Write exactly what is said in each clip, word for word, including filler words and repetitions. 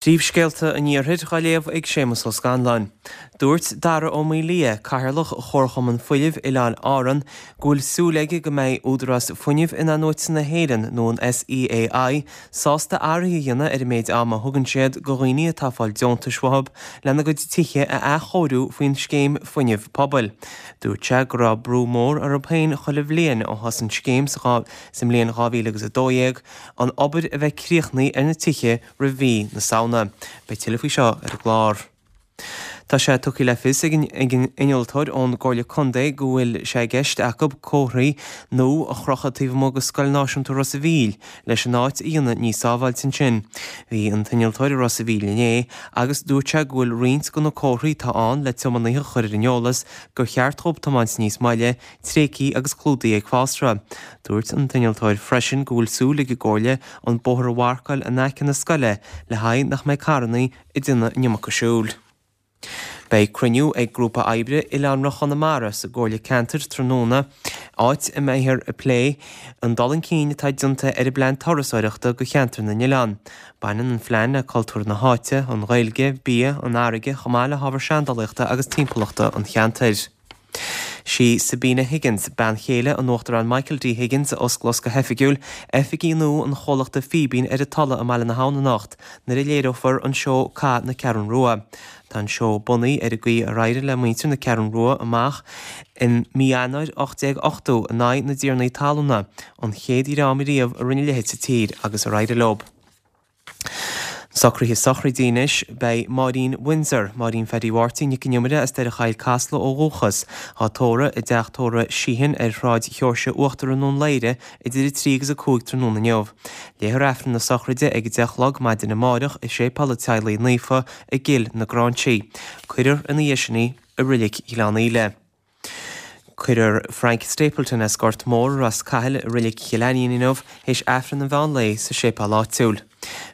Príomhscéalta an Iarthair á léamh ag Séamus Ó Scanláin. Dúirt Dara Ó Maolaodha, Cathaoirleach Chomharchumann Fuinnimh Oileáin Árann, go bhfuil súil aige go mbeidh Údarás Fuinnimh In-athnuaite na hÉireann, nó an SEAI, sásta athruithe a dhéanamh ar an méid ama a thugann siad do dhaoine atá ag fáil deontais uathu lena gcuid tithe a athchóiriú faoin scéim fuinnimh pobail. Dúirt sé go raibh brú mór orthu féin chuile bhliain ó thosaigh an scéim sa mbliain dhá mhíle agus a dó dhéag an obair a bheith críochnaithe ar na tithe roimh mhí na Samhna. Beidh tuilleadh faoi seo ar an gclár. Tá sé tugtha le fios ag an innealtóir ón gComhairle Contae go bhfuil sé i gceist acu comharthaí nua a chrochadh taobh amuigh de Scoil Náisiúnta Ros a' Mhíl leis an áit a dhéanamh níos sábháilte ansin. Bhí an t-innealtóir i Ros a' Mhíl inné agus dúirt sé go bhfuil roinnt de na comharthaí atá ann le tiománaithe a chur ar an eolas gur cheart dhóibh tiomáint níos moille, tréigthe agus clúdaithe ag fásra. Dúirt an t-innealtóir freisin go bhfuil súil ag an gComhairle an bóthar a mharcáil in aice na scoile le haghaidh nach mbeidh carranna ag déanamh an iomarca siúil. Beidh cruinniú ag grúpa oibre Oileánra Chonamara sa gComhairle Ceantair tráthnóna, áit a mbeifear ag plé an dul chun cinn atá déanta ar an bplean turasóireachta do cheantar na n-oileán. Baineann an phlean le cultúr na háite, an Ghaeilge, bia, an fharraige chomh maith le hábhar seandálaíochta agus timpeallachta an cheantair. Sí Sabina Higgins, bean chéile an Uachtaráin Michael D. Higgins, a osclós go hoifigiúil oifigí nua an chomhlachta Fíbín ar an Tulaigh i mBaile na hAbhann anocht nuair a léireofar an seó Cath na Ceathrún Rua. Tá an seó bunaithe ar an gcaoi ar éirigh le muintir na Ceathrún Rua amach in mí Eanáir ocht déag ochtó in aghaidh na dtiarnaí talúna, an chéad dhream riamh a rinne a leithéid sa tír agus ar éirigh leo. Socruithe sochraide anois, beidh Máirín Windsor, Máirín Phaddy Mháirtín Nic an Iomaire as Doire Choill Casla ó dhúchas, á tórramh i dteach tórraimh Sheehan ar Shráid Sheoirse Uachtar i nDún Laoghaire idir a trí agus a cúig tráthnóna inniu. Léifear Aifreann na sochraide ag a deich a chlog maidin amárach i Séipéal an Teaghlaigh Naofa i gCill na Gráinsí. Cuirfear ina dhiaidh sin í i Reilig Ghleann Íle. Cuirfear Frank Stapleton as Gort Mór i Ros Cathail i Reilig Chill Ainnín inniu théis Aifreann an mheán lae sa séipéal áitiúil.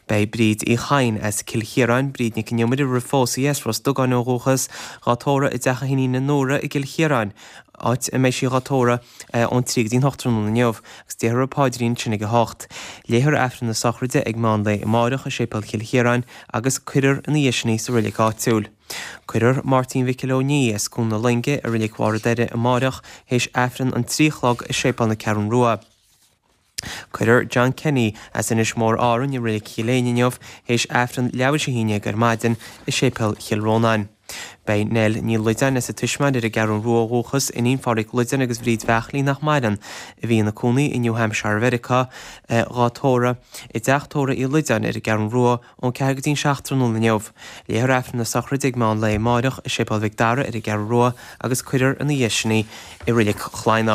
Beidh Bríd Uí Chadhain as Cill Chiaráin, Bríd Nic an Iomaire roimh phósadh as Ros Dugáin ó dhúchas, dhá tórramh i dteach a hiníne Nóra i gCill Chiaráin, áit a mbeidh sí dhá tórramh ón trí go dtí'n hocht tráthnóna inniu, agus déarfar an paidrín ansin ag a hocht. Léifear Aifreann na sochraide ag meán lae amárach i Séipéal Chill Chiaráin agus cuirfear ina dhiaidh sin í sa reilig áitiúil. Cuirfear Máirtín Mhicil Ó Ní as Cuan na Loinge i Reilig Bharr an Doire amárach théis Aifreann an trí a chlog i Séipéal na Ceathrún Rua. Cuirfear John Kenny as Inis Mór Árainn i Reilig Chill Éinne inniu théis Aifreann leathuair tar éis a haon déag ar maidin i Séipéal Chill Rónáin. Beidh Nell Ní Loideáin as an Tismeáin ar an gCeathrú Rua ó dhúchas, iníon Phádraig Loideáin agus Bhríd Bheachlí nach maireann, a bhí ina cónaí i New Hampshire Mheiriceá, dhá tórramh i dteach tórraimh Uí Loideáin ar an gCeathrú Rua ón ceathair go dtí'n seacht tráthnóna inniu. Léifear Aifreann na sochraide ag meán lae amáireach i Séipéal Mhic Dara ar an gCeathrú Rua agus cuirfear ina dhiaidh sin í i Reilig Chladhnach.